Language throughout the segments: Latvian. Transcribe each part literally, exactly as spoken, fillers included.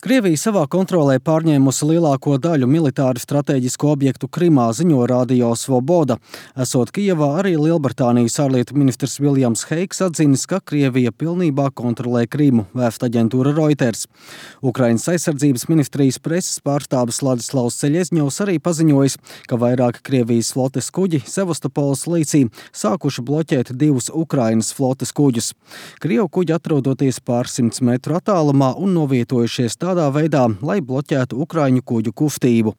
Krievija savā kontrolē pārņēmusi lielāko daļu militāri strateģisko objektu Krimā, ziņo Radio Svoboda. Esot Kijevā, arī Lielbritānijas ārlietu ministrs Viljams Heiks atzinis, ka Krievija pilnībā kontrolē Krimu, vēsta aģentūra Reuters. Ukrainas aizsardzības ministrijas preses pārstāvis Ladislavs Ceļezņovs arī paziņojis, ka vairāki Krievijas flotes kuģi Sevastopoles līcī sākuši bloķēt divus Ukrainas flotes kuģus. Krievu kuģi atrodoties pārsimts metru attālumā un novietojušies tādā tādā veidā, lai bloķētu Ukraiņu kuģu kustību.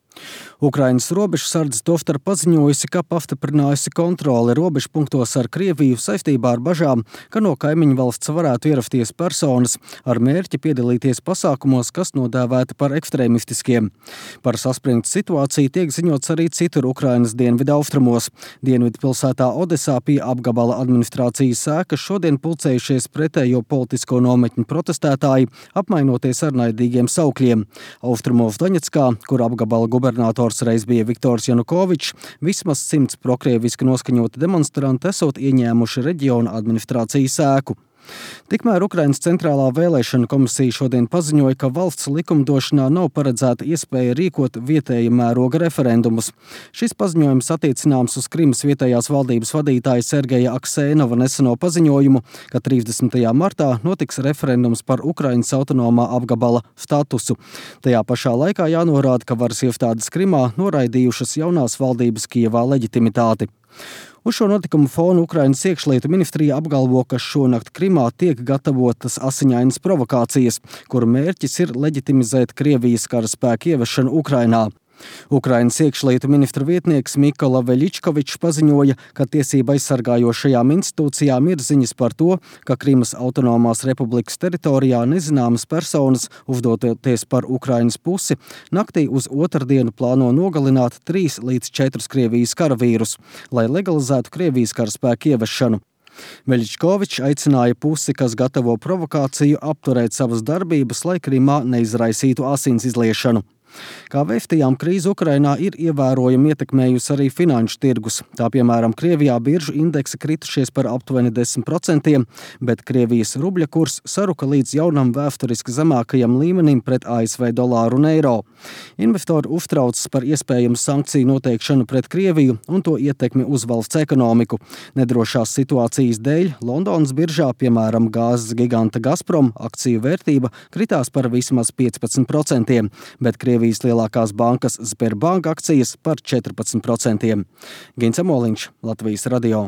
Ukrainas robežsardze tostarp paziņojusi, ka pastiprinājusi kontroli robežpunktos ar Krieviju saistībā ar bažām, ka no kaimiņu valsts varētu ierasties personas ar mērķi piedalīties pasākumos, kas nodēvēti par ekstrēmistiskiem. Par saspringtu situāciju tiek ziņots arī citur Ukrainas dienvidu austrumos. Dienvidu pilsētā Odesā pie apgabala administrācijas ēkas šodien pulcējušies pretējo politisko nometņu protestētāji, apmainoties ar naidīgiem saukļiem. Austrumos Doņetskā, kur apgabala gubernators reiz bija Viktors Janukovičs, vismaz simts prokrieviski noskaņoti demonstranti esot ieņēmuši reģiona administrācijas ēku. Tikmēr Ukrainas centrālā vēlēšana komisija šodien paziņoja, ka valsts likumdošanā nav paredzēta iespēja rīkot vietēja mēroga referendumus. Šis paziņojums attiecināms uz Krimas vietējās valdības vadītāja Sergeja Aksēnova neseno paziņojumu, ka trīsdesmitajā martā notiks referendums par Ukrainas autonomā apgabala statusu. Tajā pašā laikā jānorāda, ka varas iestādes Krimā noraidījušas jaunās valdības Kijevā leģitimitāti. Uz šo notikumu fonu Ukrainas iekšlietu ministrija apgalvo, ka šonakt Krimā tiek gatavotas asiņainas provokācijas, kuru mērķis ir leģitimizēt Krievijas karaspēku ievešanu Ukrainā. Ukrainas iekšlietu ministra vietnieks Mikola Veļičkovičs paziņoja, ka tiesība aizsargājošajām institūcijām ir ziņas par to, ka Krimas autonomās republikas teritorijā nezināmas personas, uzdoties par Ukrainas pusi, naktī uz otrdienu plāno nogalināt trīs līdz četrus Krievijas karavīrus, lai legalizētu Krievijas karaspēku ievešanu. Veļičkovičs aicināja pusi, kas gatavo provokāciju, apturēt savas darbības, lai Krimā neizraisītu asins izliešanu. Kā vēstījām, krīze Ukrainā ir ievērojami ietekmējusi arī finanšu tirgus. Tā piemēram, Krievijā biržu indeksi kritušies par aptuveni desmit procentiem, bet Krievijas rubļa kurs saruka līdz jaunam vēsturiski zemākajam līmenim pret A S V dolāru un eiro. Investori uztraucas par iespējamu sankciju noteikšanu pret Krieviju un to ietekmi uz valsts ekonomiku. Nedrošās situācijas dēļ Londonas biržā, piemēram, gāzes giganta Gazprom, akciju vērtība kritās par vismaz piecpadsmit procentiem, bet Krievijas lielākās bankas Sberbank akcijas par četrpadsmit procentiem. Gins Amoliņš, Latvijas radio.